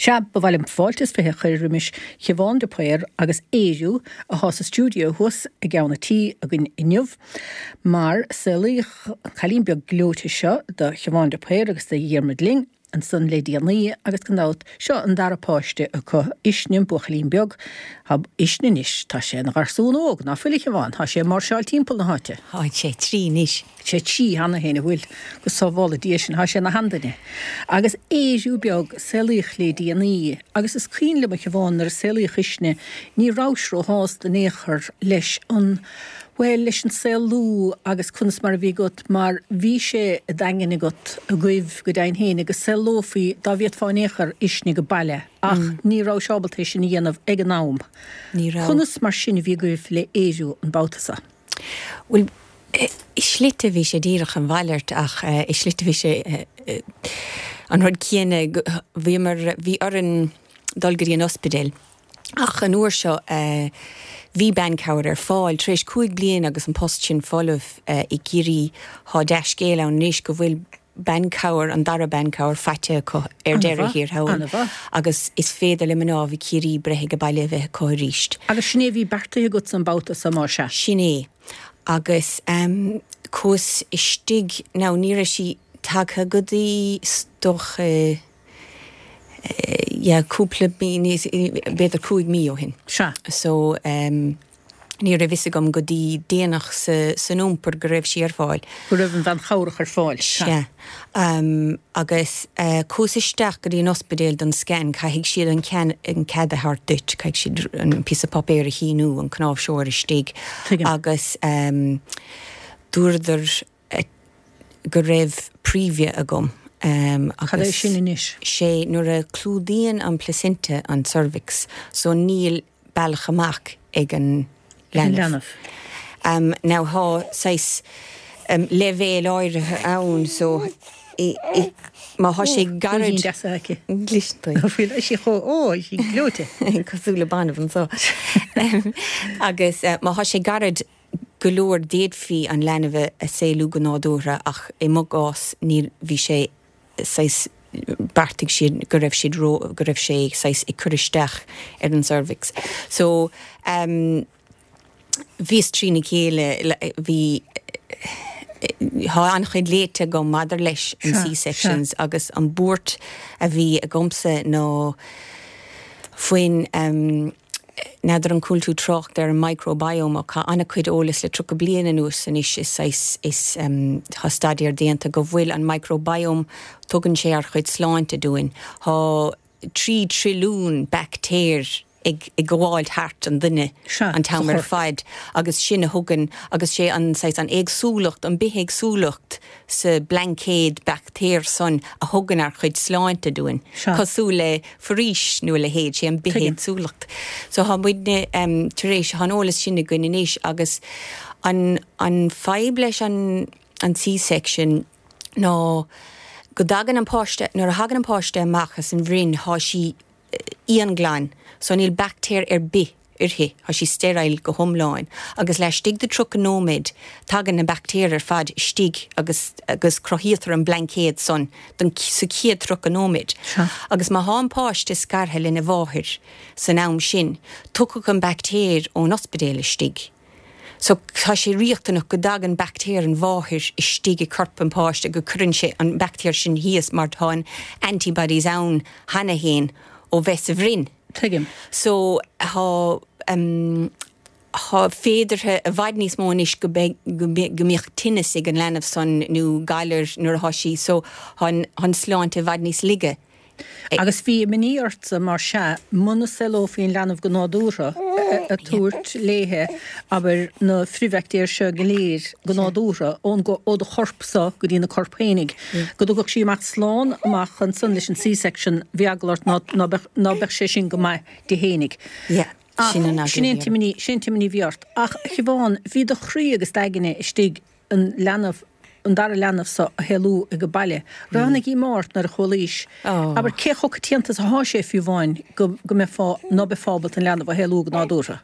Sea, ba mhaith liom fáilte is 20 a chur roimis Shiobhán de Paor agus Ériu athá sa stiúideo thuas i gceann a' tí againn inniu, mar saolaíodh an cailín beag gleoite seo do Shiobhán de Paor agus do Dhiarmuid Ling ansan le déanaí agus gan dabht, seo an dara páiste acu, Uisne, an buachaillín beag. Tá Uisne anois, tá sé ina gharsún óg, ná fuil a Shiobhán? Tá sé ag máirseáil timpeall na háite. Tá sé trí anois. sé trí cheana féin, an bhfuil? Go sábhála Dia sinn, tá sé ina sheanduine. Agus Ériu beag, saolaíodh le déanaí, agus is cuimhin liom a Shiobhán nuair a saolaíodh Uisne, ní rabhais róshásta in aon chor leis an, bhuel, leis an saolú agus conas mar a bhí agat, mar bhí sé i d'aigne agat, agaibh, go deimhin féin, go saolófaí, dá bhféadfá in aon chor, Uisne go baile, ach ní rabhais ábalta é sin a dhéanamh ag an am. Ní raibh. Conas mar sin a bhí agaibh le Ériu an babhta seo? Bhuel, i slite bhí sé díreach an mhalairt ach i slite bhí sé an rud céanna, bhíomar, bhí orainn dul go dtí an ospidéal ach an uair seo bhí bean cabhair ar fáil. Tar éis 5 bliana agus an post sin folamh i gCiarraí, thá dea-scéal ann anois go bhfuil bean cabhair, an dara bean cabhair faighte acu ar deireadh thiar thall agus is féidir le mnáibh i Ciarraí breith age baile a bheith acu arís. Agus sin é a bhí beartaithe agatsa an babhta so, más ea? Sin é. Agus chuas istigh, now ní raibh sí tagtha go dtí is dócha yeah cúpla mí, b'fhéidir 5 mí ó shin. Sea. So. Ní raibh fhios agam go dtí déanach san iompar go raibh sí ar fáil. Go raibh an bhean chabhrach ar fáil. Sea. Agus chuas isteach go dtí an ospidéal don scan, caithfidh siad an cead a thabhairt duit, caithfidh siad an píosa páipéir a shíniú, an cnáimhseoir istigh. Tuigim. Agus dúradar go raibh previa agam. Cad é sin anois? Sé nuair a clúdaíonn an placenta an cervix, so níl bealach amach ag an leanbh. Now thá saghas leibhéal áirithe ann so má thá sé gairid. Cúilín deas aici. Gluaiseann sí chomh, ó, sí gleoite. Cosúil le banbh anso. Agus má thá sé gairid go leor d'fhéadfaí an leanbh a saolú go nádúrtha ach i mo gcás níl, bhí sé saghas, bheartaigh siad go raibh siad ró, go raibh sé saghas ag cur isteach ar an cervix. So ehm bhíos trína chéile, bhí, thá an-chuid léite agam maidir leis an C-sections agus an buairt a bhí agamsa ná faoin ehm, N'fheadar an chuala tú trácht ar an microbiome ach tá an-chuid eolas le 30 bliain anuas anois is saghas is tá staidéar déanta go bhfuil an microbiome tugann sé ár chuid sláinte dúinn. Tá 3 trilliún baictéir ag ag gabháil thart an duine an t-am ar fad agus sin a thugann agus sé an saghas an éagsúlacht an bithéagsúlacht sa blaincéad baictéar san a thugann ár chuid sláinte dúinn, cosúil le foraois nó a leithéid, sé an bithéagsúlacht. So thá muidne tar éis, thá an eolas sin againn anois agus an an fadhb leis an an C-section ná go dtagann an páiste, nuair a thagann an páiste amach as an bhroinn thá sí íonghlan so níl baictéar ar bith uirthi, tá sí sterile go hiomlán agus laistigh de 30 nóiméad tagann na baictéir ar fad istigh agus agus cruthaíotar an blaincéad san don sa chéad 30 nóiméad. Agus má thá an páiste scartha lena mháthair san am sin, tiocfaidh an baictéar ón ospidéal istigh. So tá sé riachtanach go dtagann baictéar an mháthair istigh i corp an páiste, go cuireann sé an baictéar sin thíos mar tá an antibodies ann cheana fhéin ó bheith sa bhroinn. Tuigim. So tá em tá féideartha i bhfad níos mó anois go mbeidh go go mbeadh tinneas ag an leanbh san nó galar nuair atá sí so tá an tá an sláinte i bhfad níos laige. Agus bhí imní ortsa, mar sea, muna saolófaí an leanbh go nádúrtha, ag tabhairt léithe, abair, na frithbhaictéir seo go léir go nádúrtha, ón, ó do chorp-sa go dtí na corp fhéinig, go dtiocfadh sí amach slán amach ansan leis an C-section, bhí eagla ort ná, ná beadh, ná beadh sé sin go maith di fhéinig. Ach sin é an t-imní, sin é an t-imní a bhí ort. Ach, a Shiobhán, bhí do chroí agus d'aigne istigh an leanbh, an dara leanbh so a shaolú ag baile. Raibh ana dhíomá ort nuair a chualaís. Abair, cé chomh coitianta is athá sé fiú amháin go go mbeifeá, ná beifeá ábalta an leanbh a shaolú go nádúrtha?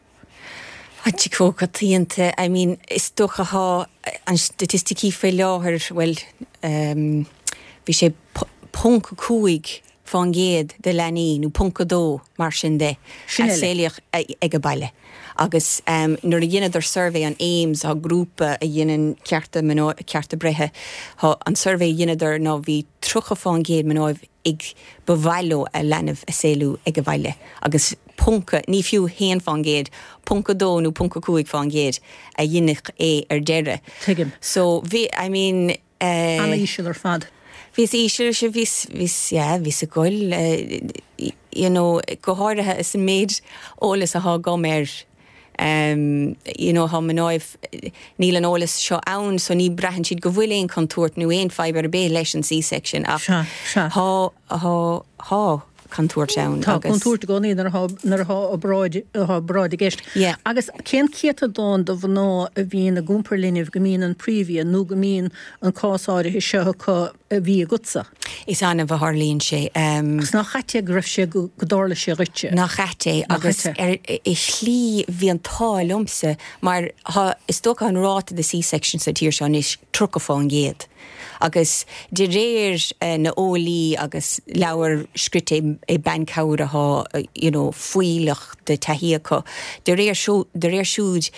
Tá sé chomh coitianta, I mean, is dócha thá an staitisticí faoi láthair, bhuel, bhí sé ponc 5. fán gcéad de leanaí, nó ponc 2, mar sin de, a saolaíodh ag a baile. Agus nuair a dheineadar suirbhé an AIMS, tá grúpa a dheineann cearta mná, cearta breithe, tá an suirbhé a dheineadar ná bhí 30 fán gcéad mnáibh ag ba mhaith leo a leanbh a saolú ag a bhaile agus ponc, ní fiú haon fán gcéad, ponc 2 nó ponc 5 fán gcéad a dheineadh é ar deireadh. Tuigim. So bhí, I mean. An-íseal ar fad. Bhíos íseal, sea, bhíos, bhíos, yeah, bhíos ag gol, you know, go háirithe is an méid eolas athá agam air, you know, thá mnáibh, níl an eolas seo ann so ní braitheann siad go bhfuil aon contúirt nó aon fadhb ar bith leis an C-section ach Sea, sea. thá, thá, thá contúirt ann Tá agus. contúirt i gcónaí nuair athá, nuair athá obráid, athá obráid i gceist. Yeah. Agus cén céatadán de mhná a bhíonn ag iompar linbh go mbíonn an príomhbhia nó go mbíonn an cás áirithe seo acu a bhí agatsa? Is annamh a tharlaíonn sé. Agus nach ait é go raibh sé, go dtarla sé dhuitse? Nach ait é agus ar i shlí bhí an t-ádh liomsa mar thá, is dócha an ráta de C-section sa tír seo anois 30%. Agus de réir na eolaí agus leabhar scrite ag bean cabhair athá you know fuílleach de taithí acu, de réir de réir siúd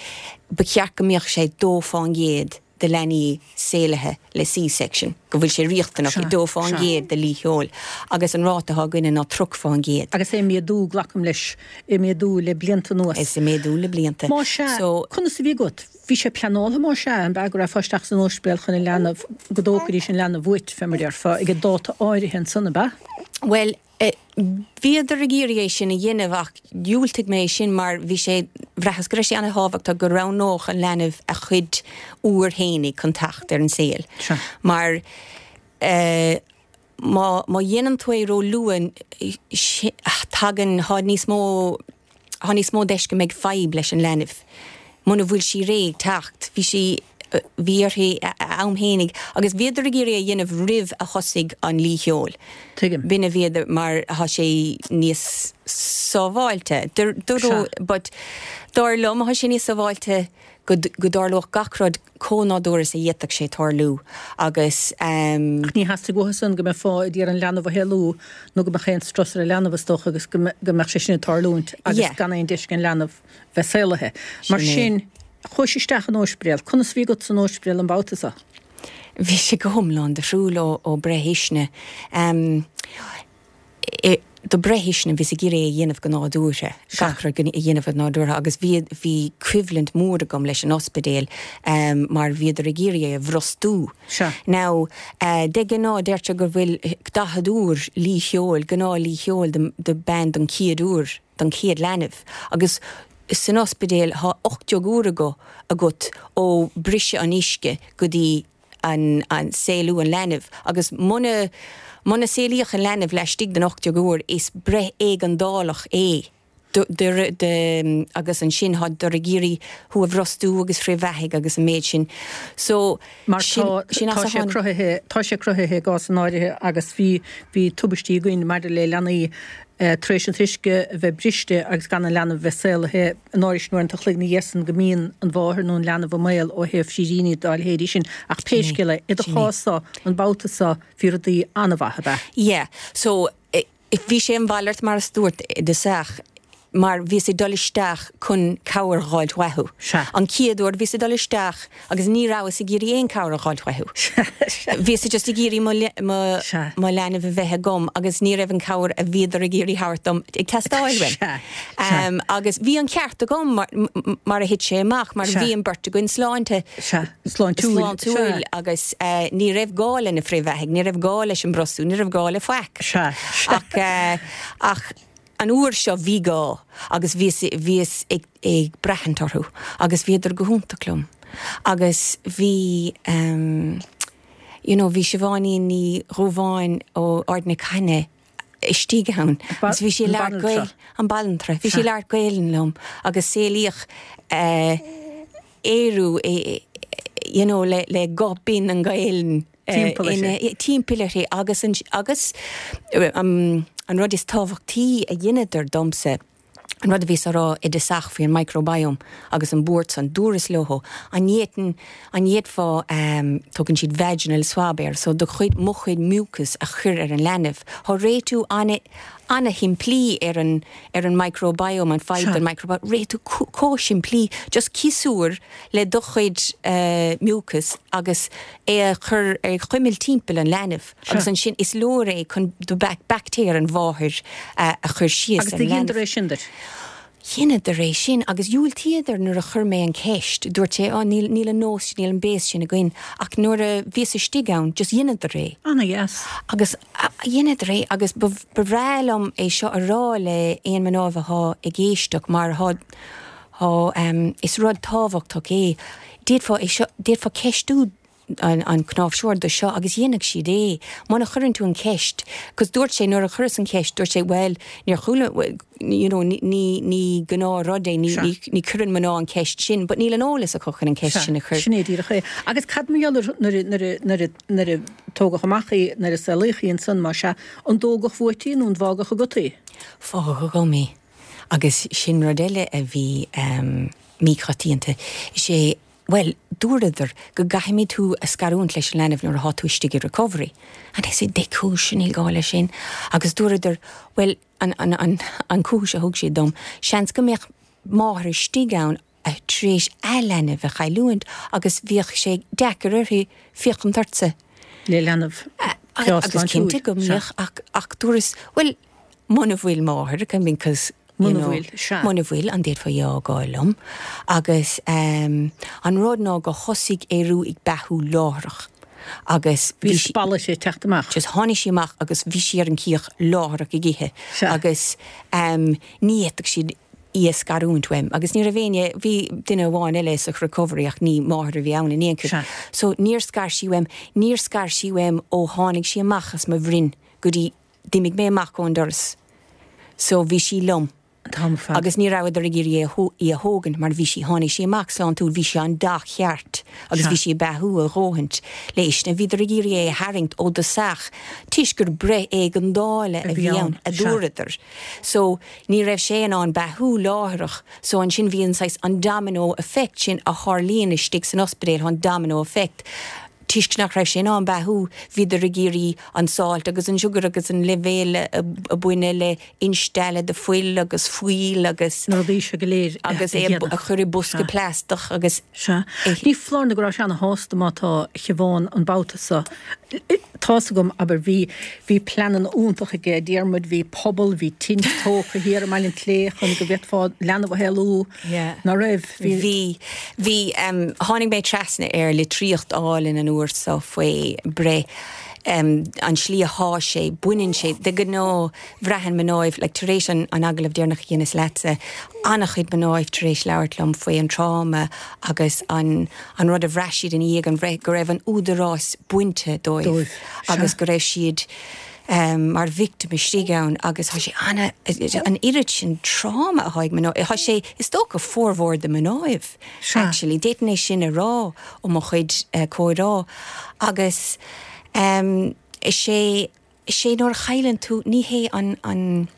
ba cheart go mbeadh sé 2% de leanaí saolaithe le C-section, go bhfuil sé riachtanach i 2% de lí sheol agus an ráta athá againne ná 30%. Agus é ag méadú, glacaim leis, ag méadú le blianta anuas. Is ag méadú le blianta. Más ea, So. conas a bhí agat? Bhí sé pleanáilte más ea, an b'ea go rachfá isteach san ospidéal chun an leanbh, go dtógfaidís an leanbh uait, fé mar a déarfá, ag an dáta áirithe ansan, ab ea? Bhuel, bhíodar ag iarraidh é sin a dhéanamh ach dhiúltaigh mé é sin mar bhí sé, bhraitheas go raibh sé ana-thábhachtach go roghnódh an leanbh a chuid uair fhéinig chun teacht ar an saol. Sea. Mar eh, má, má dhéanann tú é ró-luath, tagann, thá níos mó, thá níos mó deis go mbeidh fadhb leis an leanbh muna bhfuil sí réidh teacht. Bhí sí, bhí uirthi a am fhéinig agus bhíodar ag iarraidh é a dhéanamh roimh a thosaigh an lí sheoil. Tuigim. B'in a bhíodar, mar thá sé níos sábháilte. Sea. But dar liom thá sé níos sábháilte go go dtarlódh gach rud chomh nádúrtha is a d'fhéadfadh sé tarlú agus. Ach ní theastaigh uathu san go mbeifeá ag iarraidh an leanbh a shaolú nó go mbeadh aon strus ar an leanbh is dócha agus go mbeadh sé sin ag tarlúint agus gan aon deis ag an leanbh bheith saolaithe. Mar sin, chuais isteach in ospidéal. Conas a bhí agat san ospidéal an babhta seo? Bhí sé go hiomlán difriúil ó breith Uisne. Do breith Uisne, bhíos ag iarraidh é a dhéanamh go nádúrtha, gach rud a dhéanamh go nádúrtha agus bhí, bhí coimhlint mhór agam leis an ospidéal mar bhíodar ag iarraidh é a bhrostú. Now, de ghnáth deirtear go bhfuil 40 uair lí sheoil, gnáth lí sheoil do bean don chéad uair, don chéad leanbh agus san ospidéal thá 18 uair agat ó briseadh an uisce go dtí an saolú an leanbh agus muna muna saolaíodh an leanbh laistigh den 18 uair is breith éigeandálach é do do agus ansin thádar ag iarraidh thú a bhrostú agus frithbheathaigh agus an méid sin so Mar tá sin tá as a sé tháinig. cruthaithe tá sé cruthaithe i gcásanna áirithe agus bhí bhí tubaistí againn maidir le leanaí tar éis an t-uisce a bheith briste agus gan an leanbh a bheith saolaithe in áirithe sin uaireanta an chloig ina dhiaidh san go mbíonn an mháthair nó an leanbh i mbaol ó thaobh sríríní dá leithéidí sin. Ach pé scéal é, i do chás-sa, an babhta seo, bhí rudaí an-mhaith, ab ea? Yeah. So, bhí sé an mhalairt mar a dúirt i dtosach mar bhíos ag dul isteach chun cabhair dh'fháilt uathu. Sea. An chéad uair bhíos ag dul isteach agus ní rabhas ag iarraidh aon cabhair a dh'fháilt uathu. Sea. Bhíos just ag iarraidh mo mo Sea. mo leanbh a bheith agam agus ní raibh an cabhair a bhíodar ag iarraidh thabhairt dom ag teastáil uaim. Sea. Sea. Um, agus bhí an ceart agam mar mar a thit sé amach mar Sea. bhí an beirt againn sláinte Sea. Sláintiúil. sláintiúil Sea. agus eh, ní raibh gá le na frithbheathaigh, ní raibh gá leis an brostú, ní raibh gá le faic. Sea. Sea. Ach eh, ach An uair seo bhí gá agus bhíos, bhíos ag, ag braithint orthu agus bhíodar go hiontach liom agus bhí ehm you know bhí Siobháinín Ní Dhubháin ó Ard na Caithne istigh ann agus bhí sí ag labhairt Gael, an banaltra, bhí sí ag labhairt Gaelainn liom agus saolaíodh eh Ériu you know le, le guth binn an Ghaelainn. Timpeall uirthi. Timpeall uirthi agus an, agus an rud is tábhachtaí a dheineadar domsa. An rud a bhíos á rá i dtosach faoi an microbiome agus an buairt san, dúras leo, an bhféadfainn, an bhféadfá ehm, tugann siad vaginal swab air, so do chuid, mo chuid mucus a chur ar an leanbh. Thá réitiú ana, ana-shimplí ar an, ar an microbiome, an fadhb don microbiome, réitiú chomh simplí, just ciosúr le do chuid eh mucus agus é a chur, é a chuimilt timpeall an leanbh. Agus ansin is leor é chun do baictéir an mháthair a chur síos ar an leanbh. Agus do dheineadar é sin duit? Dheineadar é sin agus dhiúltaíodar nuair a chuir mé an ceist. Dúirt sé, oh níl, níl an nós sin, níl an béas sin againn. Ach nuair a bhíos istigh ann, just dheineadar é. Ana-dheas. Agus dheineadar é agus ba, ba bhreá liom é seo a rá le aon mnáibh athá ag éisteacht mar thá, thá, is rud tábhachtach é. D'fhéadfá é seo, d'fhéadfá ceistiú an cnáimhseoir do seo agus dhéanfadh siad é muna chuireann tú an cheist 'cause dúirt sé nuair a chuireas an cheist dúirt sé bhuel níor chuala you know ní ní ní gnáth rud é ní ní ní cuireann mná an cheist sin but níl an eolas acu chun an cheist sin a chur. Sin é díreach é. Agus cad mar gheall ar nuair a nuair a nuair a nuair a tógadh amach í nuair a saolaíodh í ansan más ea an dtógadh uait í nó an bhfágadh agat í? Fágadh agam í agus sin rud eile a bhí ehm míchoitianta is é Bhuel, dúradar go gcaithfimid tú a scarúint leis an leanbh nuair athá tú istigh i recovery. And I said, dé cúis, níl gá leis sin. Agus dúradar, bhuel, an, an, an, an cúis a thug siad dom, seans go mbeadh máthair istigh ann a tar éis a leanbh a chailliúint agus bheadh sé deacair uirthi féachaint ortsa. Le leanbh breá Agus sláintiúil. cinnte go mbeadh, ach, ach dúras, bhuel, muna bhfuil máthair, I mean, 'cause, you Muna know, bhfuil, sea. muna bhfuil, an bhféadfá í a fhágáil liom? Agus ehm, an rud ná go thosaigh Ériú ag beathú láithreach agus Bhí sí, spalladh ag teacht amach. just tháinig sí amach agus bhí sí ar an cíoch láithreach ag ithe Sea. agus ehm, ní fhéadfadh siad í a scarúint uaim agus ní raibh éinne, bhí duine amháin eile sa recovery ach ní máthair a bhí ann in aon chor. Sea. So níor scar sí uaim, níor scar sí uaim ó tháinig sí amach as mo bhroinn go dtí D'imigh mé amach ón doras so bhí sí liom An t-am ar fad. agus ní rabhadar ag iarraidh í a thógaint mar bhí sí, tháinig sí amach sláintiúil, bhí sí an dath cheart agus bhí sí ag beathú a dhóthaint le uisne. Bhíodar ag iarraidh é a tharraingt ó dtosach toisc gur breith éigeandála a bhí ann, a dúradar. So ní raibh sé in ann beathú láithreach so ansin bhí an saghas, an domino effect sin a tharlaíonn istigh san ospidéal, an domino effect. Toisc nach raibh sé in ann beathú, bhíodar ag iarraidh an salt agus an sugar agus an leibhéal a baineadh le instealladh de fuil agus fuíoll agus. Na rudaí seo go léir a agus é a chur i bosca plaisteach agus. Sea. Ní foláir nó go raibh sé ana-shásta má tá Siobhán an babhta seo. Tá's agam, abair, bhí, bhí pleananna iontacha aige Diarmuid, bhí puball, bhí tint tógtha thiar i mBaile an tSléibhe chun go bhféadfá leanbh a shaolú. Ná raibh? Bhí. Bhí. Bhí. Tháinig mé trasna ar litríocht álainn an uair so faoi breith, an slí athá sé, baineann sé, de ghnáth, bhraitheann mnáibh, like tar éis an an agallamh deireanach a dheineas leatsa, an-chuid mnáibh tar éis labhairt liom faoi an tráma agus an an rud a bhraith siad ina dhiaidh an bhreith, go raibh an údarás bainte dóibh Dóibh. agus go raibh siad mar victim istigh ann agus thá sé ana, an oiread sin tráma athá ag mná, thá sé is dócha formhór de mnáibh actually, d'fhéadfainn é sin a rá ó mo chuid comhrá agus is é, is é nuair a chailleann tú, ní hé an, an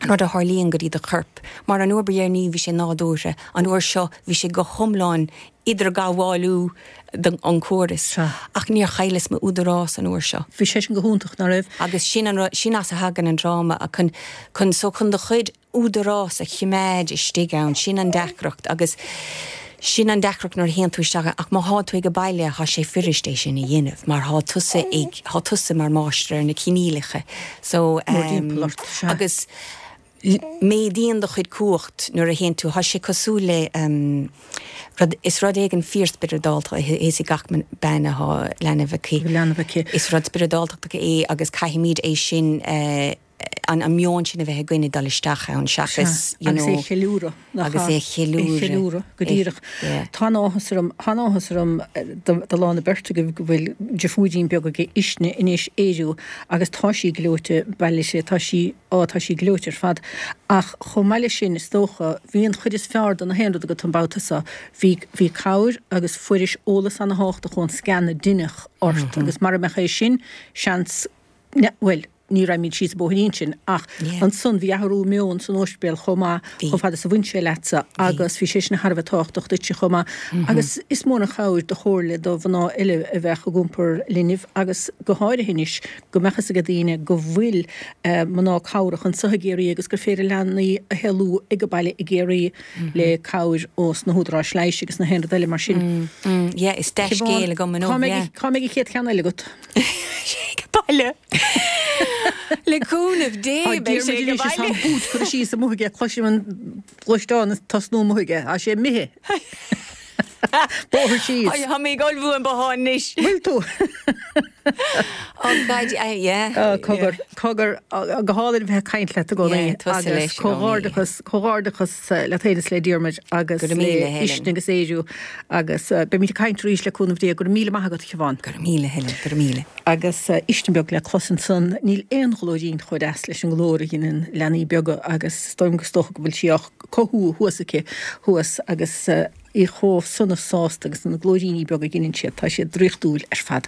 rud a tharlaíonn go dtí do chorp, mar an uair ba dheireanaí bhí sé nádúrtha, an uair seo bhí sé go hiomlán idirghabhálú don chóras. Ach níor chailleas m'údarás an uair seo. Bhí sé sin go hiontach, ná raibh? Agus sin an rud, sin as a thagann an tráma, chun, chun, so chun do chuid údarás a chimeád istigh ann, sin an deacracht agus sin an deacracht nuair a théann tú isteach ann. Ach má thá tú ag baile, thá sé fuirist é sin a dhéanamh mar thá tusa ag, thá tusa mar máistir ar na coinníollacha. So, Mórthimpeall ort, sea. agus. Méadaíonn do chuid cumhacht nuair a théann tú, thá sé cosúil le rud, is rud éigin fíorspioradálta é, is ag gach bean athá leanbh aici. leanbh aici. Is rud spioradáltach é agus caithfimid é sin, an meon sin a bheith againn ag dul isteach ann seachas, you know. Agus é a cheiliúradh, nach ea? Agus é a cheiliúradh. É a cheiliúradh, go díreach. Tá an-áthas orm, tá an-áthas orm do lán na beirte agaibh go bhfuil deirfiúirín beag ag Uisne anois, Ériú, agus tá sí gleoite, bail uirthi, tá sí, Á, tá sí gleoite ar fad. Ach chomh maith leis sin, is dócha, bhí an chuid is fearr de na haon rud agat an babhta seo. Bhí, bhí cabhair agus fuairis eolas ana-thábhachtach ón scan a deineadh ort agus mara mbeadh é sin, seans, bhuel, Ní raghaimid síos an bóithrín sin ach ansan bhí athrú meoin san ospidéal chomh maith, chomh fada is a bhain sé leatsa agus bhí sé sin thar a bheith tábhachtach duitse chomh maith. Agus is mór an chabhair do chomhairle do mhná eile a bheadh ag iompar linbh agus go háirithe anois go mbeadh fhios ag daoine go bhfuil mná cabhrach anseo i gCiarraí agus gur féidir leanaí a shaolú ag an baile i gCiarraí le cabhair ós na húdaráis leighis agus na haon rud eile mar sin. Yeah, is dea-scéal agam inniu, yeah. Cá mbeidh an chéad cheann eile agat? sé ag baile. Le cúnamh Dé beidh sé ag baile. Tá an boot curtha síos amuigh aige, cloisim an gluaisteán ag tosnú amuigh aige. Tá sé imithe. Bóthar síos. Tá mé ag ullmhú an bothán anois. Bhfuil tú? Oh God, yeah. Oh, cogar, cogar, go hálainn a bheith ag caint leat i gcónaí. Yeah, tusa leis i gcónaí. Comhghairdeachas, comhghairdeachas leat féin is le Diarmuid agus le Uisne agus Ériu. Agus beimid ag caint arís le cúnamh Dé. Go raibh míle maith agat, a Shiobhán. Go raibh míle, Helen, go raibh míle. Agus Uisne beag le clos ansan. Níl aon ghlóirín chomh deas leis an nglór a ghineann leanaí beaga agus is dóigh liom is dócha go bhfuil sí á cothú thuas aici thuas agus í chomh sona sásta agus na glóiríní beaga a ghineann siad, tá siad draíochtúil ar fad.